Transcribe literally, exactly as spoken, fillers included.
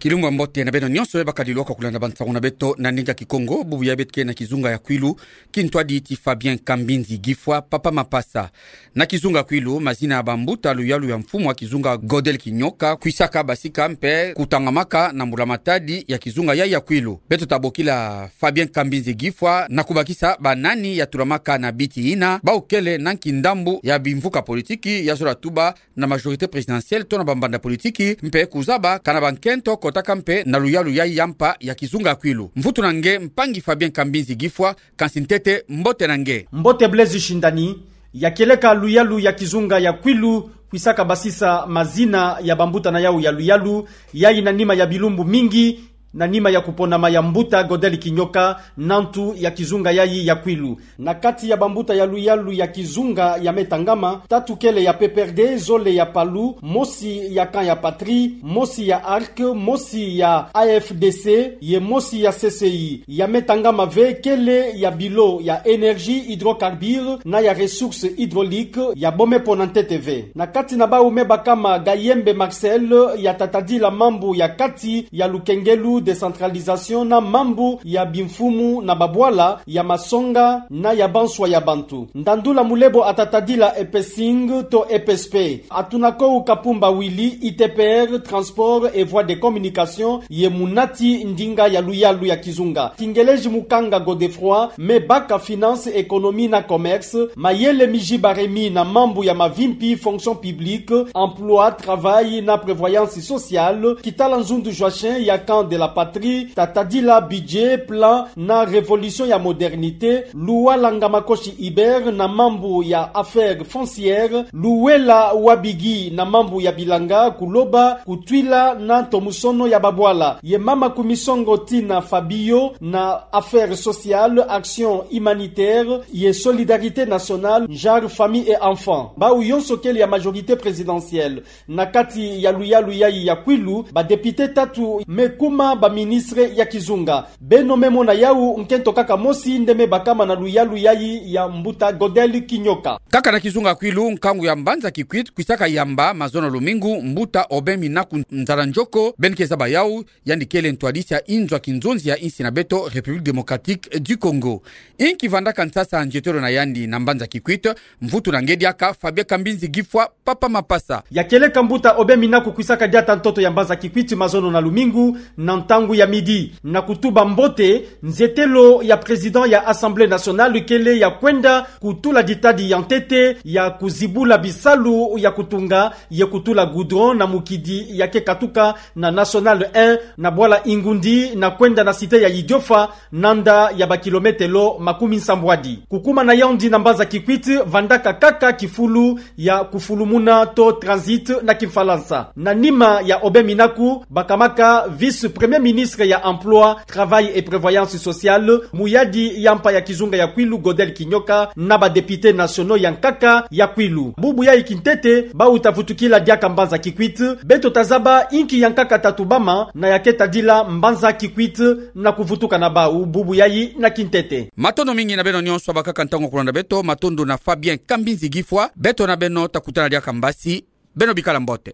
Kilumbu ya mbote na beno nyonso me bakadi lwaka kulanda bansangu na beto na ndinga Kikongo. Bubu yayi beto ke na kizunga ya Kwilu, kintwadi ti Fabien Kambinzi Gifwa, Papa Mapasa. Na kizunga Kwilu, mazina ya bambuta luyalu ya mfumu wa kizunga Godel Kinyoka kwisaka basika mpe kutangamaka na mbula matadi ya kizunga yayi ya Kwilu. Beto tabokila Fabien Kambinzi Gifwa na kubakisa banani ya tulamaka na biti yina, bawu kele na nki ndambu ya bimvuka politiki ya zola tuba na majorité présidentielle to na bambanda politiki, mpe kuzaba kana bankento kotaka mpe na luyalu yayi ya mpa ya kizunga ya Kwilu. Mvutu na nge mpangi Fabien Kambinzi Gifwa, kansi ntete mbote na nge. Mbote Blaise Shindani. Ya kieleka luyalu ya kizunga ya Kwilu kwisaka basisa mazina ya bambuta na yawu ya luyalu, yayi na nima ya bilumbu mingi, na nima ya kuponama ya mbuta Godel Kinyoka, na ntu ya kizunga yayi ya Kwilu. Na kati ya bambuta ya luyalu ya kizunga ya me tangama, tatu kele ya P P R D, zole ya Palu, mosi ya Camp ya Patrie, mosi ya Arc, mosi ya A F D C, ye mosi ya C C I. Ya me tangama ve kele ya bilo ya énergie, hydrocarbures na ya ressources hydrauliques, ya bome po na ntete ve. Na kati na bawu me bakama Gayembe Marcel, ya tatadila mambu ya kati ya lukengelu, décentralisation, na mambu ya bimfumu na babwala, ya masonga na ya banswa ya bantu. Ndandula Mulebo atatadila E P S I N G to E P S P. Atunakoo Kapumba Willy, I T P R, transport et voies de communication, ye munati ndinga ya luyalu ya kizunga. Kingeleji Mukanga Godefroid me baka finance, économie na commerce. Mayele Mijiba Rémy na mambu ya mavimpi, fonction publique, emploi, travail na prévoyance sociale. Kitala Nzundu Joachim ya Camp de la Patrie, tatadila budget, plan na révolution ya modernité. Luwala Ngamakoshi Hubert na mambu ya affaires foncières. Luwela Wabigi na mambu ya bilanga, kuloba, kutwila na ntomosono ya babwala. Ye mama Kumisongo Tina Fabio na affaires sociales, action humanitaire ye solidarité nationale, genre famille et enfants. Bawu yonso kele ya majorité présidentielle. Na kati ya luyalu yayi ya Kwilu, badéputés tatu me kuma baministres ya kizunga. Beno me mona yawu, nkento kaka mosi nde me bakama na luyalu yayi ya mbuta Godel Kinyoka. Kaka na kizunga Kwilu, nkangu ya mbanza Kikwit kwisaka yamba mazono lumingu, mbuta Aubin Minaku Nzala Ndjoko, beno ke zaba yawu, yandi kele ntwadisi ya inzo ya kinzonzi ya insi na beto, République Démocratique du Congo. Inki vandaka nsasa nzietelo na yandi na mbanza Kikwit? Mvutu na nge diaka Fabien Kambinzi Gifwa, Papa Mapasa. Ya kieleka mbuta Aubin Minaku kwisaka diata ntoto ya mbanza Kikwit mazono na lumingu, na ntangu ya midi, na kutuba mbote nzietelo ya président ya Assemblée nationale kele ya kwenda kutula ditadi ya ntete ya kuzibula bisalu ya kutunga ye kutula goudron na mukidi ya ke katuka na Nationale un na bwala Ingundi na kwenda na cité ya Idiofa, nanda ya bakilometelo makumi nsambwadi. Kukuma na yandi na mbanza Kikwit vandaka kaka kifulu ya kufulumuna to transit na Kimfalansa. Na nima ya Aubin Minaku, bakamaka vice-premier ministre ya Emploi, Travail et Prévoyance Sociale, muyadi ya mpa ya kizunga ya Kwilu Godel Kinyoka na badéputés nationaux ya nkaka ya Kwilu. Bubu yayi kintete, bawu tavutukila diaka mbanza Kikwit, beto tazaba inki ya nkaka tatubama na ya ke tadila mbanza Kikwit na kuvutuka na bawu bubu yayi na kintete. Matondo mingi na beno nyonso bakaka ntangu ya kulanda beto, matondo na Fabien Kambinzi Gifwa, beto na beno takutana diaka mbasi, beno bikala mbote.